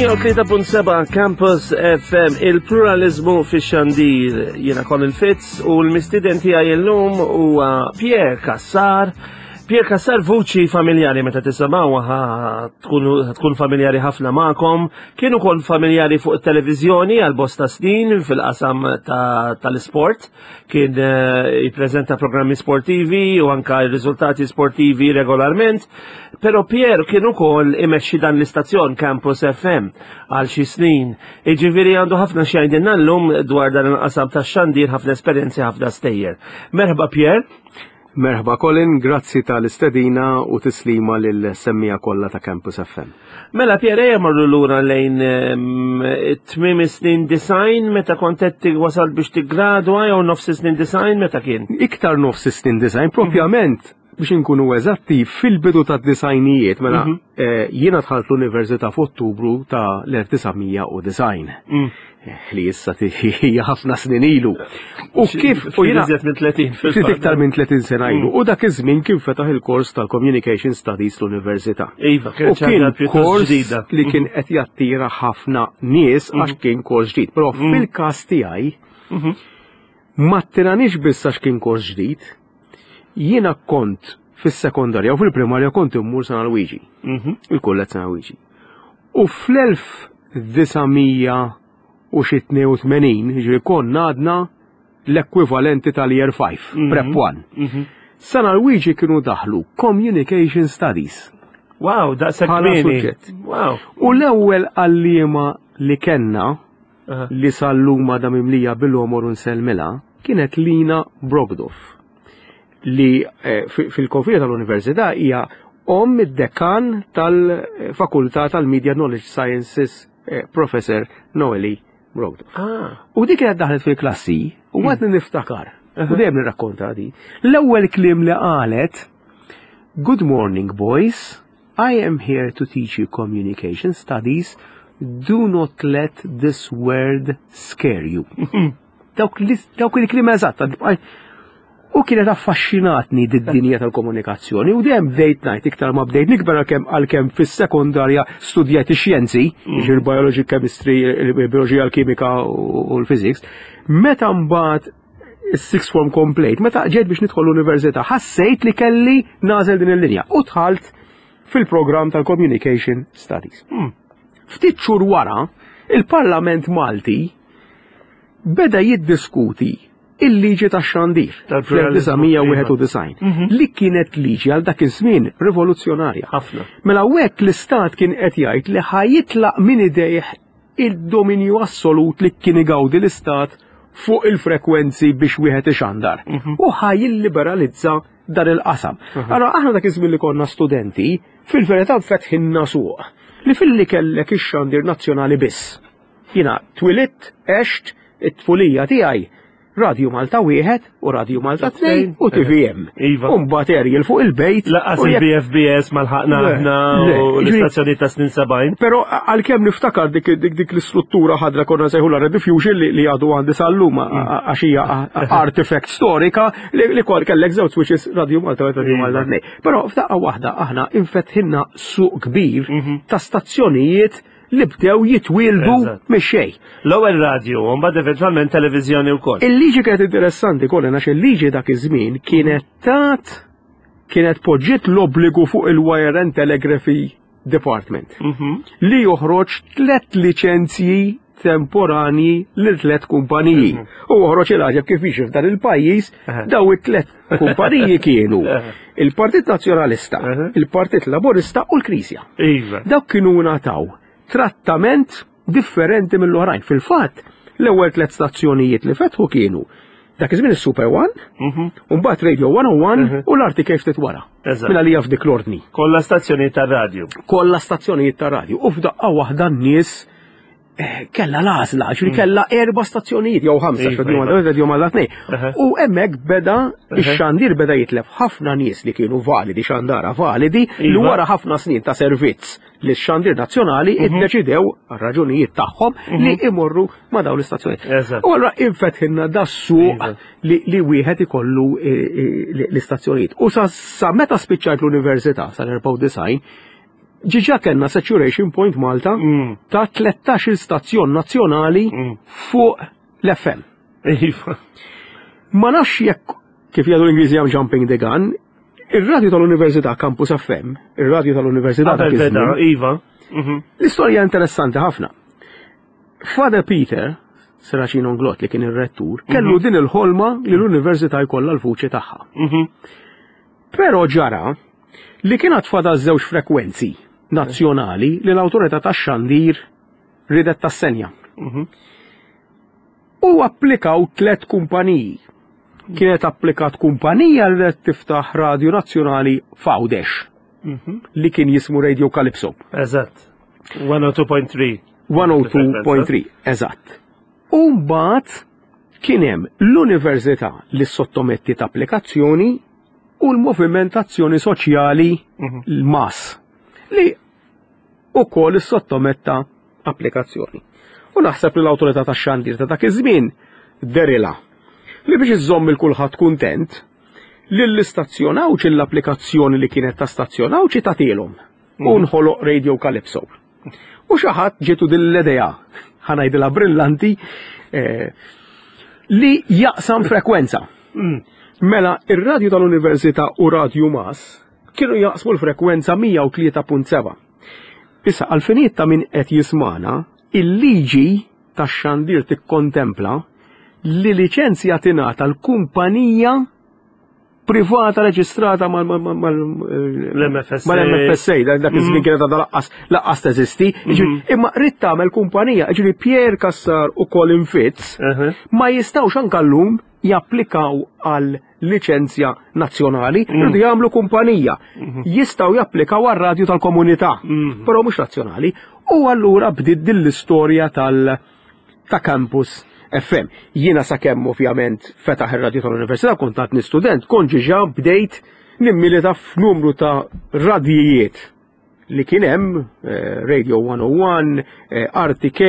103.7 Campus FM il-pluralizmu fi xandir jiena Colin Fitz u l-mistiden tiegħi illum huwa Pierre Cassar. Pierre Cassar vuċi familjari meta tisimgħuha tkun familjari ħafna magħkom, kien ukoll familjari fuq it-televiżjoni għal bosta snin fil-qasam tal-isport. Kien eh, jippreżenta programmi sportivi u anka r-riżultati sportivi regolarment, però Pier kien ukoll imexxi dan l-istazzjon Campus FM għal xi snin. Iġifieri għandu ħafna xi jgħidilna llum dwar dan il-qasam tax-xandir, ħafna esperjenzi, ħafna stejjer. Merħba Pier. Merħba Colin, grazzi tal-istedina u tislima lil-semmija kollha ta' Campus FM. Mela Pierre ejja marru lura lejn ehm, tmiem snin design meta kont qed wasal biex tiggradwa jew nofs snin design meta kien? Iktar nofs snin design, propjament biex inkunu eżatti fil-bidu ta' disajnijiet, mela mhm. eh, jiena dħalt l-Università f'Ottubru ta' l-1990. Mm. Li issa hija ħafna snin ilu. U kif u jiena minn 30 ftit iktar minn 30 sena ilu. Mm. U dak iż-żmien kien fetaħ il-kors tal-Communication Studies l-Università. Iva, u kien kors li kien mm. qed jattira ħafna nies għax mm. kien kors ġdid. Però fil-każ tiegħi mm-hmm. ma ttiranix biss għax kien kors ġdid, jiena kont fis-sekondarja u fil-primarja kont immur San Alwiġi, mhm. il-kulleġġ San Alwiġi. U fl-1982, ġifieri konna għadna l-ekwivalenti tal-Year 5, mhm. Prep 1. Mhm. San Alwiġi kienu daħlu Communication Studies. Wow, daqshekk suġġett. Wow. U l-ewwel għalliema li kellna li sal-lum għadha mimlija bil-għomor u nsellmilha, kienet Lina Brogdoff li eh, fil-konfini tal-Università hija omm id-dekan tal-Fakultà tal-Media Knowledge Sciences eh, Professor Noeli Brogdoff. Ah. U dik kienet daħlet fil-klassi u hmm. għadni niftakar. U dejjem nirrakkonta di. L-ewwel kliem li qalet Good morning boys, I am here to teach you communication studies, do not let this word scare you. Dawk il-kliem eżatt. U kienet affaxxinatni d-dinja tal-komunikazzjoni u dejjem bdejt ngħid iktar ma bdejt nikber għalkemm għalkemm fis-sekondarja studjajt ix-xjenzi, mm. il-biology, chemistry, il-bioloġija, l-kimika u l-physics. Meta mbagħad is-sixth form komplejt, meta ġejt biex nidħol l-università, ħassejt li kelli nażel din il-linja u dħalt fil-programm tal-Communication Studies. Hmm. Ftit xhur wara, il-Parlament Malti beda jiddiskuti il-liġi tax-xandir fl-1991 mhm. li kienet liġi għal dak iż-żmien rivoluzzjonarja. Ħafna. Mela hekk l-istat kien qed jgħid li ħajitlaq minn idejh il-dominju assolut li kien igawdi l-istat fuq il-frekwenzi biex wieħed ixandar. Mhm. U ħa jilliberalizza dan il-qasam. Mhm. Allora aħna dak iż-żmien li konna studenti, fil-verità fetħinna suq li filli kellek ix-xandir nazzjonali biss. Jiena twilidt, għext, it-tfulija tiegħi Radju Malta wieħed u Radju Malta tnejn u TVM. Iva. U mbagħad aerial fuq il-bejt. Laqas il-BFBS ma lħaqna aħna u l-istazzjoni ta' snin 70. Però għalkemm niftakar dik dik l-istruttura ħadra konna sejħu la Rediffusion li għadu għandi sal-lum mm. għax hija artifact storika li kol kellek żewġ switches Radju Malta u Radju Malta tnejn. Però f'daqqa waħda aħna infetħinna suq kbir mhm. ta' stazzjonijiet li bdew jitwieldu mix-xejn. L-ewwel radju, u mbagħad eventwalment televiżjoni wkoll. Il-liġi kienet interessanti kollha għax il-liġi dak iż-żmien kienet tat kienet poġġiet l-obbligu fuq il-Wire and Telegraphy Department mhm. li joħroġ tlet liċenzji temporani lil tlet kumpaniji. Mhm. U oħroġ il-għaġeb kif jiġi f'dan il-pajjiż daw it-tlet kumpaniji kienu il-Partit Nazzjonalista, il-Partit Laburista u l-Knisja. Iva. Dawk kienu ngħataw trattament differenti mill-oħrajn. Fil-fatt, l-ewwel tlet stazzjonijiet li fetħu kienu dak iż-żmien is-Super One, mhm. u mbagħad Radio 101 mhm. u l-RTK ftit wara. Mela li f'dik l-ordni. Kollha stazzjonijiet tar-radju. Kollha stazzjonijiet tar-radju. U f'daqqa waħda n-nies Eh, kella l-għażla, ġri mm. kella erba stazzjonijiet jew ħamsa, iva, iva. Radio Malta tnej. U hemmhekk beda ix-xandir beda jitlef ħafna nies li kienu validi xandara validi li iva. wara ħafna snin ta' servizz li x-xandir nazzjonali mhm. iddeċidew għal raġunijiet tagħhom mhm. li imorru ma' dawn l-istazzjonijiet. U allura infetħilna da suq li wieħed ikollu eh, eh, l-istazzjonijiet. U sa meta spiċċajt l-università sal-94. Ġiġa kellna saturation point Malta mm. ta' 13 stazzjon nazzjonali mm. fuq l-FM. Iva. Ma nafx jekk kif jgħidu l-Ingliżi għam jumping the gun, ir-radju tal-Università Campus FM, ir-radju tal-Università ta' Iva. Mhm. L-istorja interessanti ħafna. Father Peter, Seracino Onglot li kien ir-rettur, mhm. kellu din il-ħolma li l-università jkollha l-vuċi tagħha. Mhm. Però ġara li kien għad fadal żewġ frekwenzi nazzjonali li l-awtorità tax-xandir ridet tassenja. Mhm. U applikaw tlet kumpaniji. Kienet applikat kumpanija li ridet tiftaħ radju nazzjonali f'Għawdex li kien jismu Radio Calypso. Eżatt. 102.3. 102.3, eżatt. U mbagħad kien hemm l-università li sottomettiet applikazzjoni u l-Moviment Azzjoni Soċjali mhm. l-MAS li ukoll sottometta applikazzjoni. U naħseb li l-awtorità tax-xandir ta' dak iż-żmien derila li biex iżżomm il kulħadd kuntent li l-istazzjon Għawdxi l-applikazzjoni li kienet ta' stazzjon Għawdxi tagħtilhom u mhm. nħoloq Radio Calypso. U xi ħadd ġietu din l-idea, ħa ngħidilha brillanti, eh, li jaqsam frekwenza. Mm. Mela, ir-radju tal-Università u Radju Mas kienu jaqsmu l-frekwenza 103.7. Issa, għal-finijiet ta' min qed jismana, il-liġi tax-xandir tikkontempla li liċenzja tingħata l-kumpanija privata reġistrata mal-MFSA, dak iż-żmien mm. kienet għadha laqqas laqqas teżisti. Mm-hmm. Imma rrid tagħmel kumpanija, ġifieri Pierre Cassar u Colin Fitz uh-huh. ma jistgħux anke llum japplikaw għal liċenzja nazzjonali, mm. rridu jagħmlu kumpanija. Mm-hmm. Jistgħu japplikaw għal radju tal-komunità, mm-hmm. però mhux nazzjonali. U allura bdiet din l-istorja tal- ta' Campus FM. Jiena sakemm ovvjament fetaħ ir-radju tal-Università kont għadni student, kont ġiġa bdejt nimmilita f'numru ta' radjijiet li kien hemm eh, Radio 101, eh, RTK,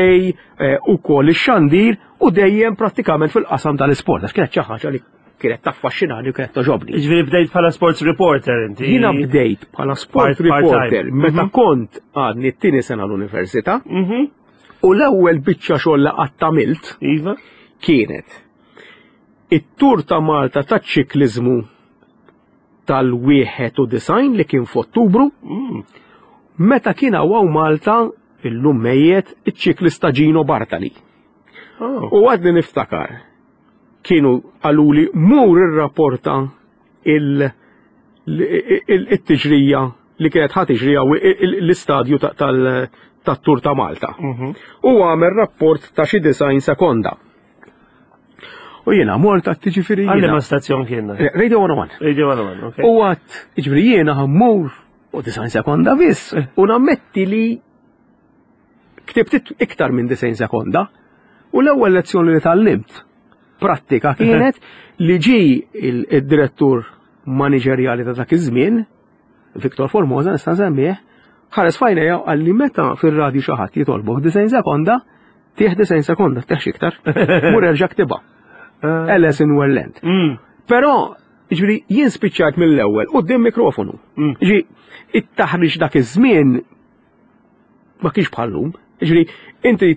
eh, u kol ix-xandir u dejjem prattikament fil-qasam tal-isport, għax kienet xi ħaġa li kienet taffaxxinani u kienet toġobni. Ġifieri bdejt bħala sports reporter inti. Jiena bdejt bħala sport reporter meta mhm. kont għadni t-tieni sena l-università. Mhm. U l-ewwel biċċa xogħol li qatt għamilt iva. kienet it-Tur ta' Malta taċ-ċikliżmu tal-91 li kien f'Ottubru, mm. meta kien hawn Malta illum mejjet iċ-ċiklista Gino Bartali. Oh. U għadni niftakar kienu qaluli mur irrapporta il-tiġrija li kienet ħa tiġri l-istadju tat-Tur ta' Malta. Mhm. U għamel rapport ta' xi design sekonda. U jiena mort għat ġifieri. Għalli ma stazzjon kien. Eh, Radio 101. Radio 101, ok. U għat, ġifieri jiena ħammur u design sekonda biss. Eh. U nammetti li ktibt iktar minn design sekonda. U l-ewwel lezzjoni li tallimt prattika kienet li ġi il-direttur maniġerjali ta' dak iż-żmien, Victor Formosa nista' nsemmieh, ħares fajnejja u qalli meta fir-radju xi ħadd jitolbok 90 sekonda, tieħ 90 sekonda, teħx iktar. Mur erġa' ktibha. Eh. Alice in Wonderland. Mm. Però, ġifieri jien spiċċajt mill-ewwel quddiem mikrofonu. Mm. Ġi, it-taħriġ dak iż-żmien ma kienx bħallum. Ġifieri, inti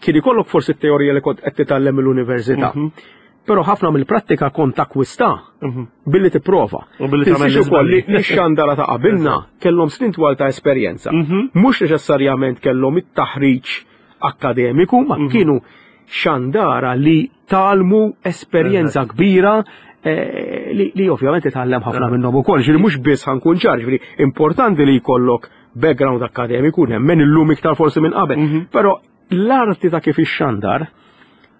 kien ikollok forsi t-teorija li kont qed titgħallem mill-università. Mhm. Però ħafna mill-prattika kont takkwista mhm. billi tipprova. U billi tagħmel ukoll li x-xandara ta' qabilna kellhom snin twal ta' esperjenza. Mhm. Mhux neċessarjament kellhom it-taħriġ akkademiku, ma kienu xandara li talmu esperjenza kbira eh, li, li ovvjament titgħallem ħafna minnhom ukoll. Ġifieri mhux biss ħankun ċar, ġifieri importanti li jkollok background akkademiku nemmen illum iktar forsi minn qabel. Mhm. Però l-arti ta' kif ixxandar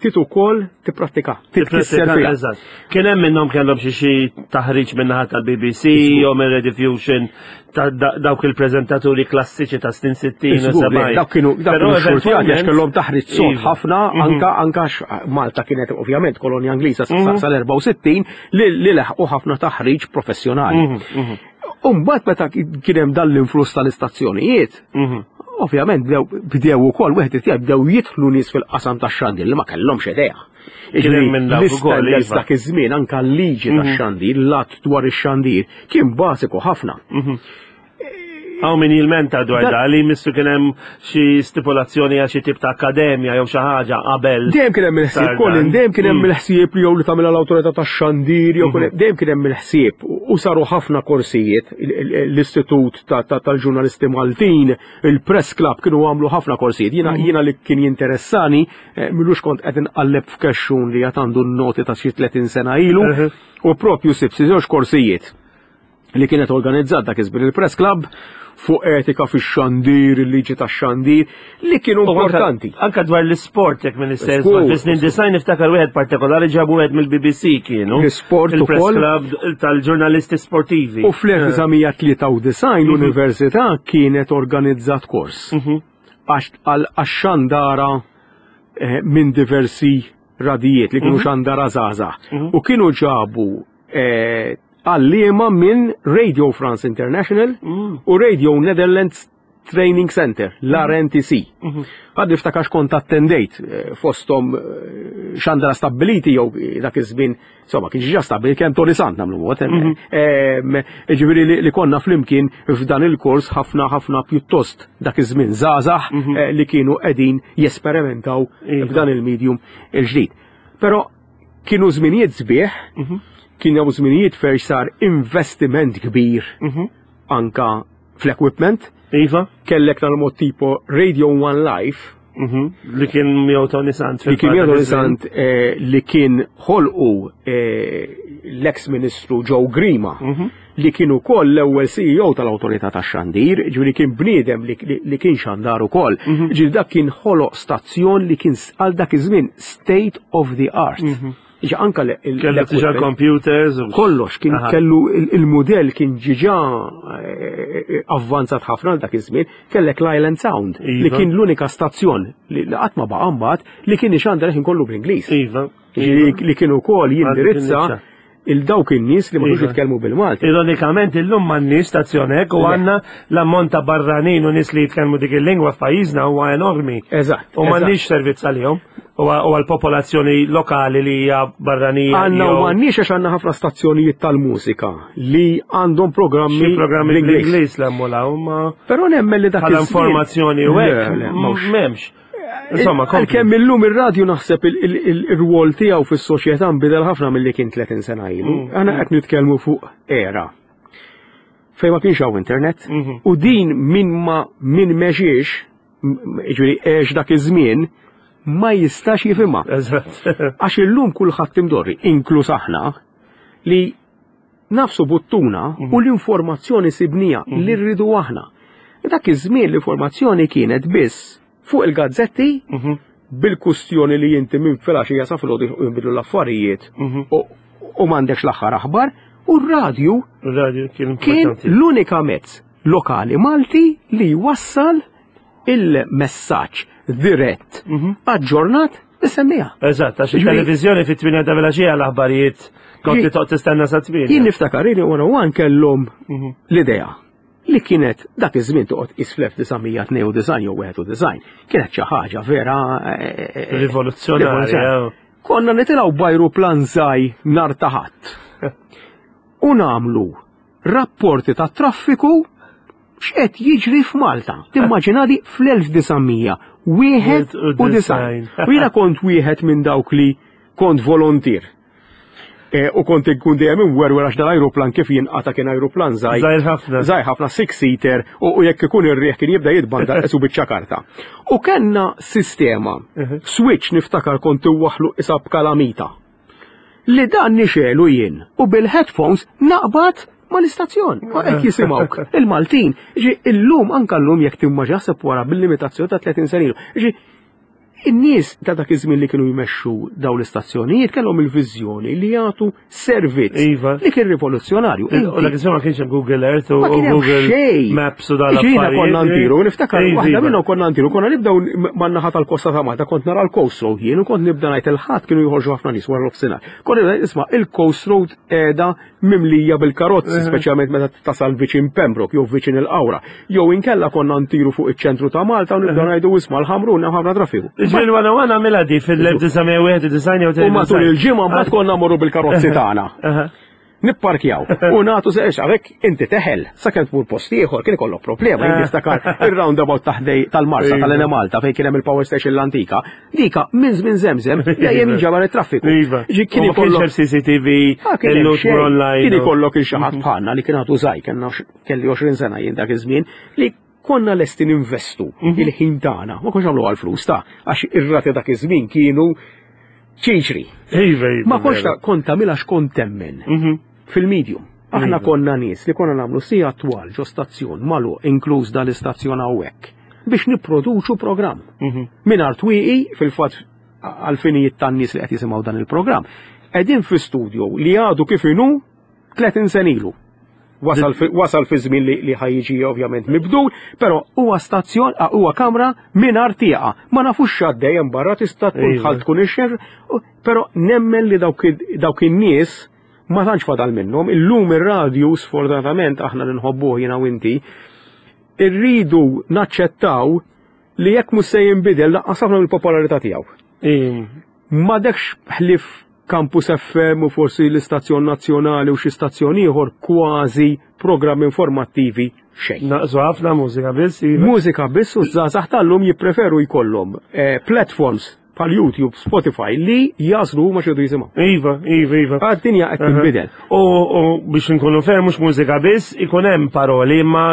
tit ukoll tipprattika, titkisser fiha. Eżatt. Kien hemm minnhom kellhom xi xi taħriġ min-naħa tal-BBC jew minn Rediffusion ta' dawk il-preżentaturi klassiċi ta' snin 60 u 70. Dawk kienu dawk kienu xurtjati għax kellhom taħriġ sod iva. ħafna mhm. anka anka Malta kienet ovvjament kolonja Ingliża mhm. sal-64 li leħqu ħafna taħriġ professjonali. Umbat meta kien hemm dan l-influss tal-istazzjonijiet, mhm. ovvjament bdew ukoll wieħed irid bdew jidħlu nies fil-qasam tax-xandir li ma kellhomx idea. L-istandards iva. dak iż-żmien anka l-liġi mhm. tax-xandir, l-att dwar ix-xandir kien bażiku ħafna. Mhm. Hawn min jilmenta dwar da li missu kien hemm xi stipulazzjoni għal xi tip ta' akkademja jew xi ħaġa qabel. Dejjem kien hemm il-ħsieb, Colin, dejjem kien hemm il-ħsieb li jew li tagħmilha l-awtorità tax-xandir jew dejjem kien hemm il-ħsieb u saru ħafna korsijiet l-Istitut tal-Ġurnalisti Maltin, il-Press Club kienu għamlu ħafna korsijiet. Jiena jiena li kien jinteressani m'ilux kont qed inqalleb f'kexxun li għad għandu n-noti ta' xi 30 sena ilu u propju sibt xi żewġ korsijiet li kienet organizzat dak iż-żmien il-Press Club fuq etika fix-xandir, il-liġi tax-xandir, li kienu importanti. Anka dwar l-isport jekk minn istess, fis-snin design niftakar wieħed partikolari ġabu wieħed mill-BBC kienu. L-isport il-Press Club tal-ġurnalisti sportivi. U fl-1993 l-Università kienet organizzat kors għax-xandara minn diversi radijiet li kienu xandara żgħażagħ. U kienu ġabu għalliema minn Radio France International u Radio Netherlands Training Center, l-RNTC. Għad niftakar kont attendejt fosthom xandara stabbiliti jew dak iż-żmien, insomma, kien ġa stabbilit kemm Tony Sant nagħmlu mod. Ġifieri li konna flimkien f'dan il-kors ħafna ħafna pjuttost dak iż-żmien żgħażagħ li kienu qegħdin jesperimentaw f'dan il-medium il-ġdid. Però kienu żminijiet sbieħ, kienu żminijiet fejn sar investiment kbir anka fl-equipment. Iva. Kellek tal-mod tipo Radio One Live. Li kien miegħu Tony Sant. Li kien miegħu Tony Sant li kien ħolqu l-ex ministru Joe Grima. Li kien ukoll l-ewwel CEO tal-Awtorità tax-Xandir, ġifieri kien bniedem li kien xandar ukoll. Ġifieri dak kien ħoloq stazzjon li kien għal dak iż-żmien state of the art. Ġi anka Kellu diġà computers u kollox kien kellu il-mudell kien ġiġa avvanzat ħafna għal dak iż-żmien, kellek l-Island Sound li kien l-unika stazzjon li qatt ma baqa' mbagħad li kien ixandar ħin kollu bl-Ingliż. Ġifieri li kien ukoll jindirizza il-dawk in-nies li ma kinux jitkellmu bil-Malti. Ironikament illum m'għandniex stazzjon hekk u għandna l-ammont ta' barranin u nies li jitkellmu dik il-lingwa f'pajjiżna huwa enormi. U m'għandniex servizz għalihom u għall-popolazzjoni lokali li hija barranija. Għandna u m'għandniex għax għandna ħafna stazzjonijiet tal-mużika li għandhom programmi Xi programmi bl-Ingliż l-hemm u l-hawn, ma Però nemmen li dak bħala iż-żmien informazzjoni u Le, hekk, le, m'hawnx. m'hemmx. Insomma, kompli. Għalkemm illum ir-radju naħseb ir-rwol tiegħu fis-soċjetà nbidel ħafna milli kien 30 sena ilu. Aħna qed nitkellmu fuq era fejn ma kienx hawn internet u din min ma min mexiex, jiġifieri għex dak iż-żmien, ma jistax jifhimha. Għax illum kulħadd imdorri, inkluż aħna, li nafsu buttuna u l-informazzjoni sibnija li rridu aħna. Dak iż-żmien l-informazzjoni kienet biss fuq il-gazzetti bil-kustjoni li inti minn filgħaxija sa filgħodu jinbidlu l-affarijiet u m'għandekx l-aħħar aħbar, u r-radju Ir-radju kien kien importanti. l-unika mezz lokali Malti li jwassal il-messaġġ dirett aġġornat is-semmiegħa. Eżatt, għax Ġifieri il-televiżjoni fit-8 ta' filgħaxija l-aħbarijiet kont Ġi- toqgħod tistenna sa 8. Jien niftakar li wara one kellhom l-idea li kienet dak iż-żmien toqgħod qis fl-1992 jew 91, kienet xi ħaġa vera Rivoluzzjonarja. rivoluzzjonarja. Konna nitilgħu b'ajruplan żgħir nhar ta' Ħadd u nagħmlu rapporti ta' traffiku x'qed jiġri f'Malta. Timmaġina di fl-1991. U jiena kont wieħed minn dawk li kont volontier. U kont inkun dejjem imwerwer għax dal-ajruplan kif jinqata' kien ajruplan żgħir. Żgħir ħafna. Żgħir ħafna, six-seater, u jekk ikun ir-riħ kien jibda jitbandal qisu biċċa karta. U kellna sistema, switch niftakar kont iwaħħlu qisha b'kalamita. Li dan nixelu jien u bil-headphones naqbad mal-istazzjon. Ma qed jisimgħuk il-Maltin. Ġi illum anka llum jekk timmaġina ħseb wara bil-limitazzjoni ta' 30 sena ilu. Ġi in-nies ta' dak iż-żmien li kienu jmexxu dawn l-istazzjonijiet kellhom il-viżjoni li jagħtu servizz li kien rivoluzzjonarju. U dak iż-żmien ma kienx hemm Google Earth u Ma kien hemm Google xejn. Maps u dan Ġifieri l-affarijiet. konna ntiru, niftakar waħda minnhom konna ntiru, konna nibdew man-naħa tal-kosta ta' Malta, kont nara l-Coast Road jien u kont nibda ngħid il-Ħadd kienu joħorġu ħafna nies wara l-offsinhar. Kont nibda isma' il-Coast Road qiegħda mimlija bil-karozzi, speċjalment meta tasal viċin Pembroke jew viċin il-Qawra. Jew inkella konna ntiru fuq iċ-ċentru ta' Malta u nibdew ngħidu isma' l-Ħamrun hemm ħafna traffiku. Ġifieri wara wara għamilha di fil-1991 jew U matul il-ġimgħa mbagħad konna mmorru bil-karozzi tagħna. Nipparkjaw u nagħtu se għalhekk inti teħel sakemm tmur post ieħor kien ikollok problema jien niftakar ir-roundabout taħdej tal-Marsa Iva. tal-Enemalta fejn kien hemm il-power station l-antika. Dika minn żmien żemżem dejjem jinġabar it-traffiku. Iva. Ġi kien U ma kienx ikollok hemm CCTV, Ah, kien hemm illum xejn. online. Kien ikollok il xi ħadd bħalna li kien għadu żgħir, kellna kelli 20 sena jien dak iż-żmien li konna lesti ninvestu il-ħin tagħna, ma konx nagħmlu għall-flus ta' għax ir-rati dak iż-żmien kienu ċiċri. Iva, iva. Ma konx veru. ta' kont tagħmilha x'kont temmen fil-medium. Aħna Iva. konna nies li konna nagħmlu sija twal ġo stazzjon magħluq inkluż dal-istazzjon hawnhekk biex nipproduċu programm. Mingħajr twieqi fil-fatt għal-finijiet tan-nies li qed jisimgħu dan il-programm. Qegħdin fi studio li għadu kif inhu 30 sen ilu. Wasal fi, wasal fi żmien li, li ħajjiġi ovvjament mibdul, però huwa stazzjon, ah, huwa kamra mingħajr tieqa. Ma nafux x'għaddej hemm barra tista' tkun Iva. dħalt tkun ixxer, u- però nemmen li dawk id- dawk in-nies ma tantx fadal minnhom. Illum ir-radju sfortunatament aħna li nħobbuh jiena u inti, irridu naċċettaw li jekk mhux se jinbidel lanqas ħafna mill-popolarità tiegħu. Iva. M'għadekx ħlief Campus FM u forsi l-istazzjon nazzjonali u xi stazzjon ieħor kważi programmi informattivi xejn. Naqsu ħafna mużika biss, iva. Mużika biss u żgħażagħ tal-lum jippreferu jkollhom eh, platforms bħal YouTube, Spotify li jażlu huma x'iridu jisimgħu. Iva, iva, iva. Għad-dinja qed tinbidel. U, u biex nkunu fair mhux mużika biss, ikun hemm paroli, imma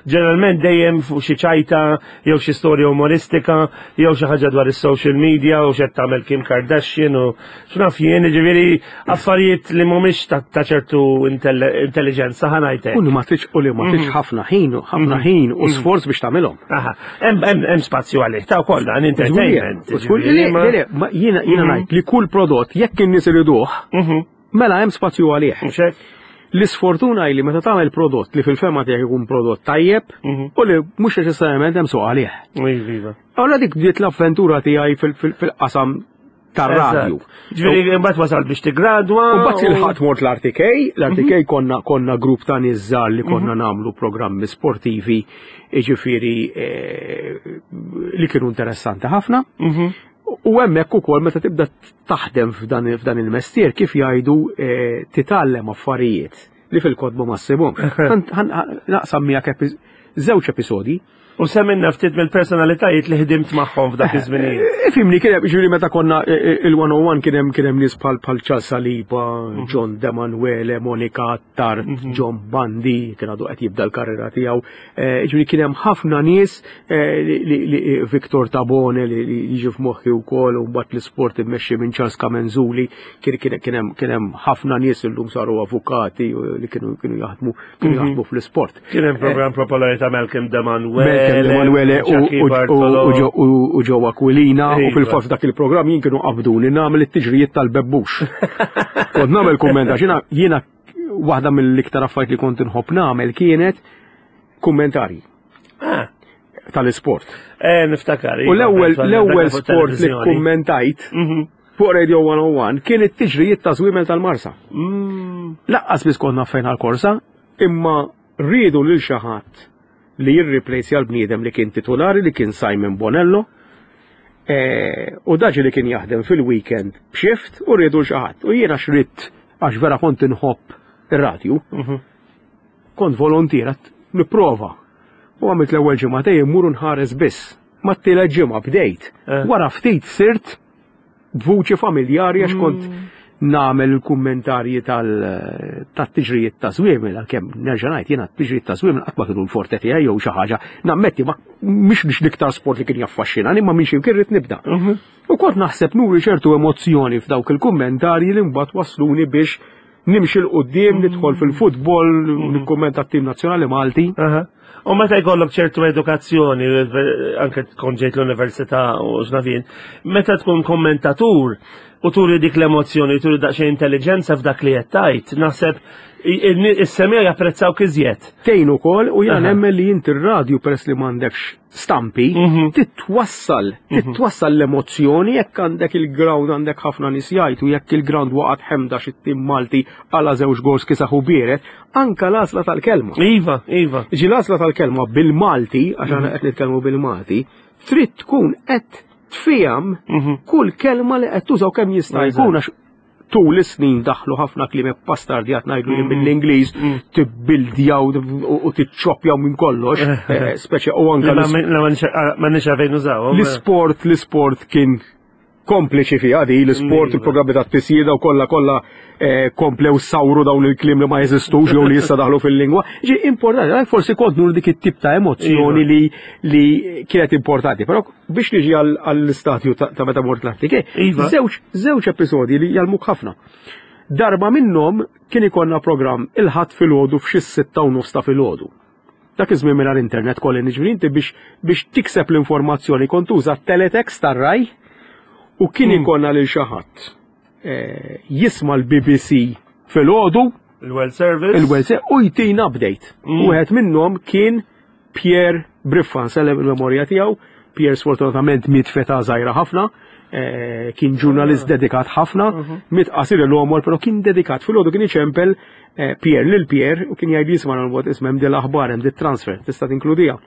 ġeneralment dejjem fuq xi ċajta jew xi storja umoristika jew xi ħaġa dwar is-social media u x'qed tagħmel Kim Kardashian u x'naf jien, jiġifieri affarijiet li mhumiex ta' ta' ċertu intelle- intelligenza ħa ngħidlek. U li ma tridx u li ma tridx ħafna ħin, ħafna ħin u sforz biex tagħmilhom. Aha, hemm hemm hemm spazju għalih ta' wkoll dan entertainment. U żgur- Le, le, le, ma jiena jiena ngħid li kull prodott jekk in-nies iriduh, mela hemm spazju għalih. Mhux hekk? L-isfortuna hi li meta tagħmel prodott li fil-fema tiegħek ikun prodott tajjeb u li mhux neċessarjament hemm suq għalih. Iva, iva. Allora dik bdiet l-avventura tiegħi fil- fil- fil-qasam tar-radju. Ġifieri mbagħad wasal biex tigradwa. U mbagħad il-ħadd mort l-RTK, l-RTK konna konna grupp ta' nies żgħar li konna nagħmlu programmi sportivi, jiġifieri eh, li kienu interessanti ħafna. U hemmhekk ukoll meta tibda taħdem f'dan f'dan il-mestier kif jgħidu eh, titgħallem affarijiet li fil-kotba ma ssibhomx. Ħan- ħan- Naqsam miegħek epi- żewġ episodji. U semminna ftit mill-personalitajiet li ħdimt magħhom f'dak iż-żminijiet. Ifimni, kien hemm ġifieri meta konna eh, eh, il-101 kien hemm kien hemm nies bħal bħal Charles Saliba, John Demanuele, Monica Attard, John Bandi, kien għadu qed jibda l-karriera tiegħu. Eh, Ġifieri kien hemm ħafna nies eh, li- li li- Victor Tabone li li jiġi f'moħħi wkoll u mbagħad l-isport immexxi minn Charles Kamenzuli, kien kien kien hemm kien hemm ħafna nies illum saru avukati u li kienu kienu jaħdmu kienu jaħdmu fl-isport. Kien hemm programm popolari ta' Malcolm Demanuele. Malcolm Emanuele u- Jackie u- Bartolo. u- u Ġo- u- u Joe Aquilina u Iva. fil-fatt dak il-programm jien kienu qabduni nagħmel it-tiġrijiet tal-bebbux. Kont nagħmel kumment għax jiena jiena waħda mill-iktar affarijiet li kont inħobb nagħmel kienet kummentarji Ah, tal-isport. eh, niftakar. U iva, l-ewwel dak l-ewwel fuq sport li televizjoni. kummentajt fuq Radio 101 kien it-tiġrijiet ta' żwiemel tal-Marsa. Laqqas biss konna fejn għal-korsa, imma rridu lil xi ħadd li jirriplejsja l-bniedem li kien titolari li kien Simon Bonello. Eh, u daġi li kien jaħdem fil-weekend b'shift u rridu l xi ħadd. U jiena xritt għax vera kont inħobb ir-radju. Kont volontier għat nipprova. U għamilt l-ewwel ġimgħatej immur nħares biss. Ma t-tielet ġimgħa bdejt. Eh. Wara ftit sirt b'vuċi familjari għax kont nagħmel il-kummentarji tal-tiġrijiet ta' żwiemel għalkemm nerġa' ngħid jiena t-tiġrijiet ta' żwiemel qatt ma kienu l-forte tiegħi jew xi ħaġa. Nammetti ma mhix biex l-iktar sport li kien jaffaxxinani imma minn xi kien rrid nibda. U kont naħseb nuri ċertu emozzjoni f'dawk il-kummentarji li mbagħad wasluni biex nimxi 'l quddiem nidħol fil-futbol, nikkummenta t-tim nazzjonali Malti. Aha. U meta jkollok ċertu edukazzjoni, anke tkun ġejt l-università u x'nafien, meta tkun kommentatur u turi dik l-emozzjoni, turi daqsxejn intelligenza f'dak li qed tgħid, naħseb is-semija japprezzaw iżjed. Tejn ukoll u jiena Aha. nemmen li inti r-radju peress li m'għandekx stampi, titwassal, titwassal l-emozzjoni jekk għandek il-ground għandek ħafna nies jgħidu jekk il-ground waqgħet ħemda xi tim Malti għala żewġ gols kisaħ u bieret, anka l-għażla tal-kelma. Iva, iva. Ġi l-għażla tal-kelma bil-Malti, għax aħna qed nitkellmu bil-Malti, trid tkun qed tfiham kull kelma li qed tużaw kemm jista' Eżatt. jkun għax tul is-snin daħlu ħafna kliem pastardjat ngħidu li mill-Ingliż tibbildjaw u tiċċoppjaw minn kollox, eh, speċi u anke Ma nix għalfejn nużawhom. l-isport, l-isport kien kompliċi fiha di l-isport, il-programmi ta' tisjida u kollha kollha eh, komplew sawru dawn il-kliem li ma jeżistux jew li issa daħlu fil-lingwa. Ġi importanti, għalhekk forsi kont nur dik it-tip ta' emozzjoni li li kienet importanti, però biex niġi għall-istatju ta' meta mort l-artike, Iva. żewġ żewġ episodji li jgħallmuk ħafna. Darba minnhom kien ikollna programm il-ħadd filgħodu f'xi 6:30 ta' filgħodu. Dak iż-żmien mingħajr internet kolli niġri inti biex biex tikseb l-informazzjoni kont tuża teletext tar-raj u kien ikollna lil xi ħadd eh, jisma' l-BBC filgħodu Il-World Service. il-World Service u jtina update. Wieħed minnhom kien Pierre Briffa, nsellem il-memorja tiegħu. Pierre sfortunatament miet f'età żgħira ħafna, eh, kien ġurnalist dedikat ħafna, miet qasir l-għomor, però kien dedikat. Filgħodu kien iċempel eh, Pierre lil Pierre u kien jgħid jisma' l-bot isma' hemm din l-aħbar hemm dit transfer, tista' tinkludija.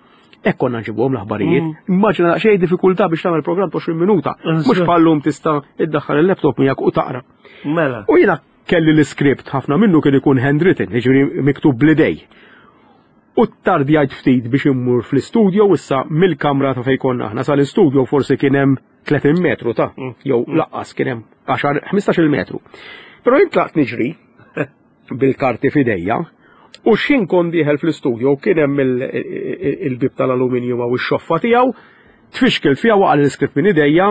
Hekk konna nġibuhom l-aħbarijiet. Immaġina daqsxejn diffikultà biex tagħmel programm ta' 20 minuta. Mhux bħallum tista' iddaħħal il-laptop miegħek u taqra. Mela. U jiena kelli l-iskript ħafna minnu kien ikun handwritten, jiġifieri miktub bl-idej. U tardjajt ftit biex immur fl-istudio issa mill-kamra ta' fejn konna aħna sal-istudio forsi kien hemm 30 metru ta' jew laqqas kien hemm 10 15 metru. Però jien tlaqt niġri bil-karti f'idejja u x'ħin kont dieħel fl-istudio kien hemm il-bib tal-aluminju u x-xoffa tiegħu, tfixkilt fiha waqa' l-iskript minn idejja,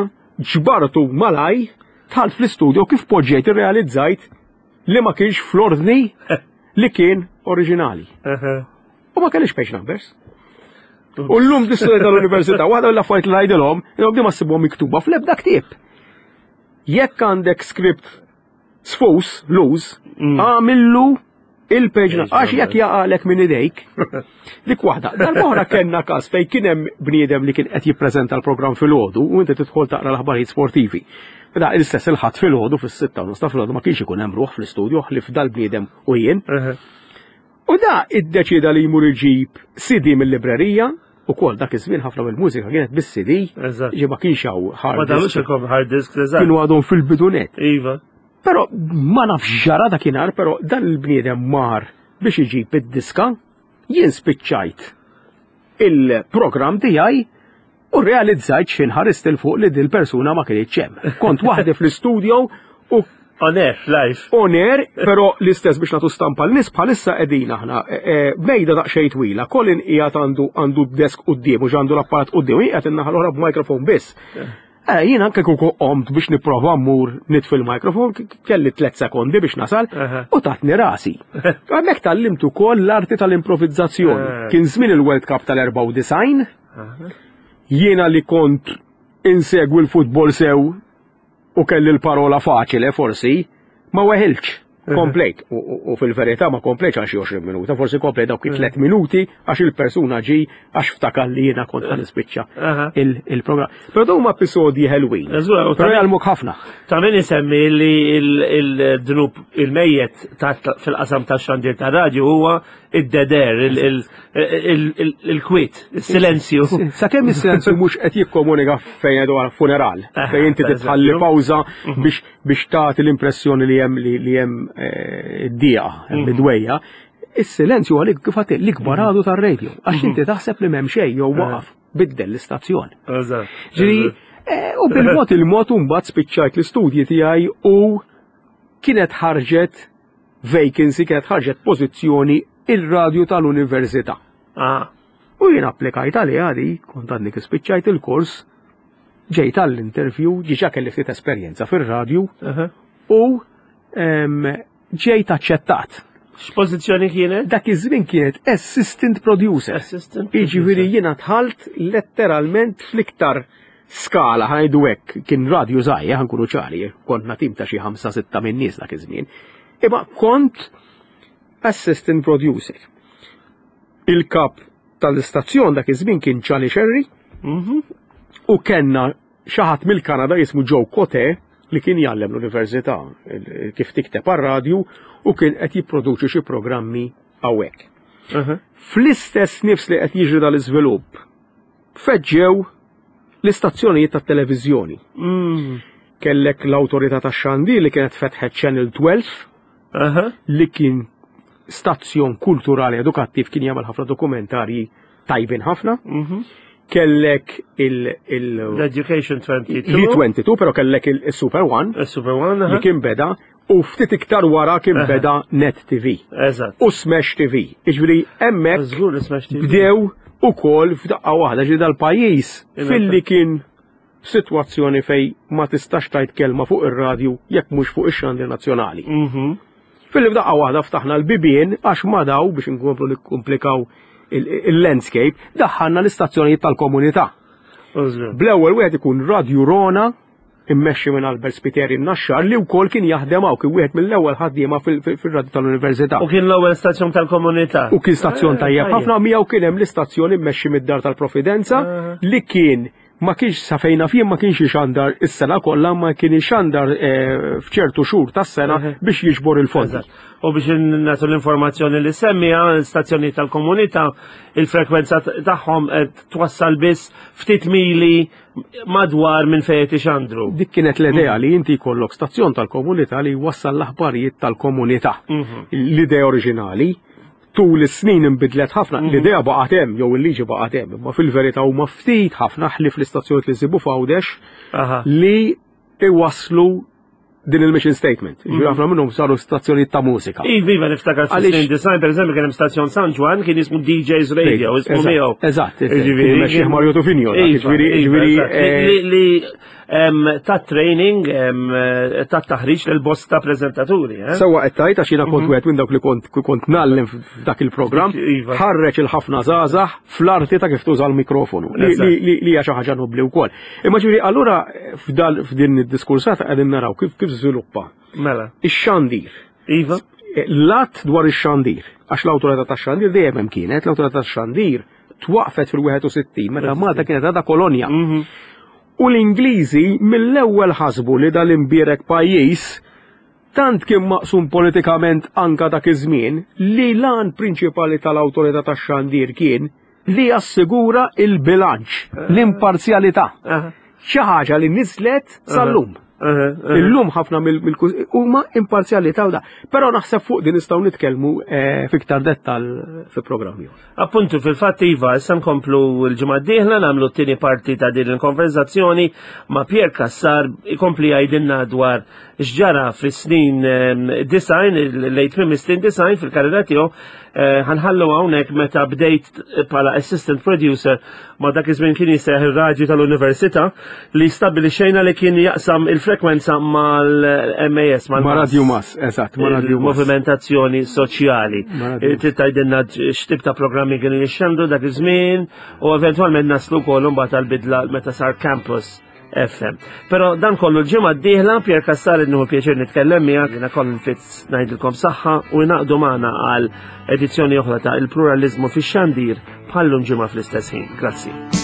ġbartu malaj, dħalt fl-istudio kif poġġejt irrealizzajt li ma kienx fl-ordni li kien oriġinali. U ma kellix page numbers. U l-lum l-istudenti tal-università, waħda mill-affarijiet li ngħidilhom, ilhom di ma ssibhom miktuba fl-ebda ktieb. Jekk għandek script sfus, loose, għamillu il-page number, għax jekk jaqalek minn idejk, dik waħda. Darb'oħra kellna każ fejn kien hemm bniedem li kien qed jippreżenta l-programm filgħodu u inti tidħol taqra l-aħbarijiet sportivi. Da l-istess il-ħadd filgħodu fis-6:30 ta' filgħodu ma kienx ikun hemm ruħ fl-istudju ħlief dal-bniedem u jien. U da iddeċida li jmur iġib CD mill-librerija u kol dak iż-żmien ħafna mill-mużika kienet bis-CD. Ġi ma kienx hawn hard Ma disk. daħlux hard disk, eżatt. Kienu għadhom fil-bidunet. Iva. Però ma nafx ġara dakinhar, però dan il-bniedem mar biex iġib id-diska, jien spiċċajt il-programm tiegħi u realizzajt x'ħin ħarist 'il fuq li dil persuna ma kienx hemm. Kont waħdi fl-istudio u On air, live. On air, però l-istess biex nagħtu stampa l-nies bħalissa qegħdin aħna e, e, mejda daqsxejn twila, Colin qiegħed għandu għandu d-desk quddiem u għandu l-apparat quddiem, qiegħed in-naħa l-oħra b'mikrofon biss. Eh, jien anke kieku qomt biex nipprova mmur nitfi l-mikrofon, kelli 3 sekondi biex nasal u tatni rasi. Hemmhekk tgħallimt ukoll l-arti tal-improvizzazzjoni. Eh. Kien żmien il-World Cup tal-94, jiena li kont insegwi l-futbol sew u kelli l-parola faċile forsi, ma weħilx. Komplejt, u fil-verità ma komplejtx għal xi 20 minuta, forsi komplejt dawk it-tlet minuti għax il-persuna ġi għax ftakar li jiena kont ħa nispiċċa il-programm. Però dawn huma episodji ħelwin. Però jgħallmuk ħafna. Ta' min isemmi li il-dnub il-mejjet fil-qasam tax-xandir ta' radju huwa id-deder, il-kwiet, il-silenzju. Sakemm is-silenzju mhux qed jikkomunika fejn għadu għal funeral, eh, fejn inti titħalli pawża mhm. biex biex tagħti l-impressjoni li hemm li hemm eh, d-dieqa, hemm mhm. id-dwejja. Is-silenzju għalik kif għati l-ikbar mhm. għadu tar-radio, għax inti taħseb li m'hemm xejn jew waqaf biddel l-istazzjon. Ġifieri, eh, u bil-mod il-mod mbagħad spiċċajt l-istudji tiegħi u kienet ħarġet vacancy kienet ħarġet pożizzjoni il-radju tal-università. Ah. U jien applikajt għaliha di, kont għadni kif spiċċajt il-kors, ġejt għall-interview, diġà kelli ftit esperjenza fir-radju u ġejt aċċettat. X'pożizzjoni kienet? Dak iż-żmien kienet assistant producer. Assistant. Jiġifieri jiena dħalt letteralment fl-iktar skala ħa ngħidu hekk, kien radju żgħir, ħa nkunu ċari, konna tim ta' xi ħamsa sitta minn nies dak iż-żmien. Imma kont assistant producer. Il-kap tal-istazzjon dak iż-żmien kien Charlie Sherry mhm. u kellna xi ħadd mill-Kanada jismu Joe Cote li kien jgħallem l-università kif tikteb għar-radju u kien qed jipproduċi xi programmi hawnhekk. Fl-istess nifs li qed jiġri dal-iżvilupp, feġġew l-istazzjonijiet tat-televiżjoni. Mm. Kellek l-awtorità tax-xandir li kienet fetħet Channel 12 li kien stazzjon kulturali edukattiv kien jagħmel ħafna dokumentarji tajbin ħafna. Mhm. Kellek il- L-Education 22. L-22, pero kellek il-Super One. Il-Super One, Li kien beda u ftit iktar wara kien beda Net TV. Eżatt. U Smash TV. Iġviri, emmek bdew u kol f'daqqa waħda ġi dal-pajjiż filli kien f'sitwazzjoni fejn ma tistax tgħid kelma fuq ir-radju jekk mhux fuq ix-xandir nazzjonali. Mhm. Filli f'daqqa waħda ftaħna l-bibien għax ma daw biex inkomplu nikkomplikaw il-landscape, daħħalna l-istazzjonijiet tal-komunità. Bl-ewwel wieħed ikun Radju Rona immexxi minn Albert Spiteri Naxxar li wkoll kien jaħdem hawn kien wieħed mill-ewwel ħaddiema fir-radju tal-Università. U kien l-ewwel stazzjon tal-komunità. U kien stazzjon eh, tajjeb ħafna miegħu kien hemm l-istazzjon immexxi mid-Dar tal-Providenza eh. li kien ma kienx sa fejn naf jien ma kienx ixandar is-sena kollha ma kien ixandar eh, f'ċertu xhur tas-sena biex jiġbor il-fondi. U biex nagħtu l-informazzjoni li semmija, l-istazzjoni tal-komunità, il-frekwenza tagħhom qed twassal biss ftit mili madwar minn fejn qed ixandru. Dik kienet l-idea li inti jkollok stazzjon tal-komunità li jwassal l-aħbarijiet tal-komunità. Mhm. L-idea oriġinali tul is-snin inbidlet ħafna, mhm. l-idea baqgħet hemm jew il-liġi baqgħet hemm, imma fil-verità huma ftit ħafna ħlief l-istazzjonijiet li nsibu f'Għawdex li iwasslu din il-mission statement. Ġifieri mhm. ħafna minnhom saru stazzjonijiet ta' mużika. Iva, iva niftakar fis-snin design, per eżempju, kien hemm stazzjon San Ġwan kien jismu DJs Radio, ismu miegħu. Eżatt, ġifieri Mario Tufinio. Iva, ġifieri, iva, ġifieri eh, li ta' training, ta' taħriġ lil bosta preżentaturi. Eh? Sewwa qed tgħid għax jiena kont mhm. wieħed minn dawk li kont kont nallem f'dak il-programm, iva. ħarreġ il-ħafna żgħażagħ fl-arti ta' kif tuża l-mikrofonu li hija xi ħaġa nobli wkoll. Imma ġifieri allura f'din id-diskursata qegħdin naraw kif kif żviluppa. Mela. Ix-xandir. Iva. L-att dwar ix-xandir, għax l-awtorità tax-xandir dejjem hemm kienet, l-awtorità tax-xandir twaqfet fil-61 meta Malta kienet għadha kolonja. Mhm. U l-Ingliżi mill-ewwel ħasbu li dal-imbierek pajjiż tant kien maqsum politikament anka dak iż-żmien li l-għan prinċipali tal-awtorità tax-xandir kien li jassigura il-bilanċ, l-imparzjalità. Xi ħaġa li niżlet sal-lum. Illum ħafna mill huma imparzjalità u da. Però naħseb fuq din nistgħu nitkellmu eh, fiktar dettal fi programm ieħor. Appuntu fil-fatt iva, issa nkomplu l-ġimgħa d-dieħla nagħmlu t-tieni parti ta' din il-konverzazzjoni ma' Pier Cassar ikompli jgħidilna dwar x'ġara fis-snin ehm, design, il-late mim snin design fil-karriera tiegħu eh, ħanħallu hawnhekk meta bdejt bħala assistant producer ma dak iż-żmien kien jisejjaħ ir-radju tal-università li stabbilixxejna li kien jaqsam il-frekwenza mal-MAS. Ma' Radio Mas, eżatt, ma' Radio Mas. Movimentazzjoni soċjali. Eh, trid tgħidilna x'tip ta' programmi kienu jixxandu dak iż-żmien u eventwalment naslu wkoll imbagħad għall-bidla meta sar campus. FM. Pero dan kollu l-ġimgħa d-dieħla Pier Cassar innuhu pjaċir nitkellem miegħek, jiena Colin Fitz ngħidilkom saħħa u jnaqdu magħna għal edizzjoni oħra ta' il-pluralizmu fix-xandir bħallum ġimgħa fl-istess ħin. Grazzi.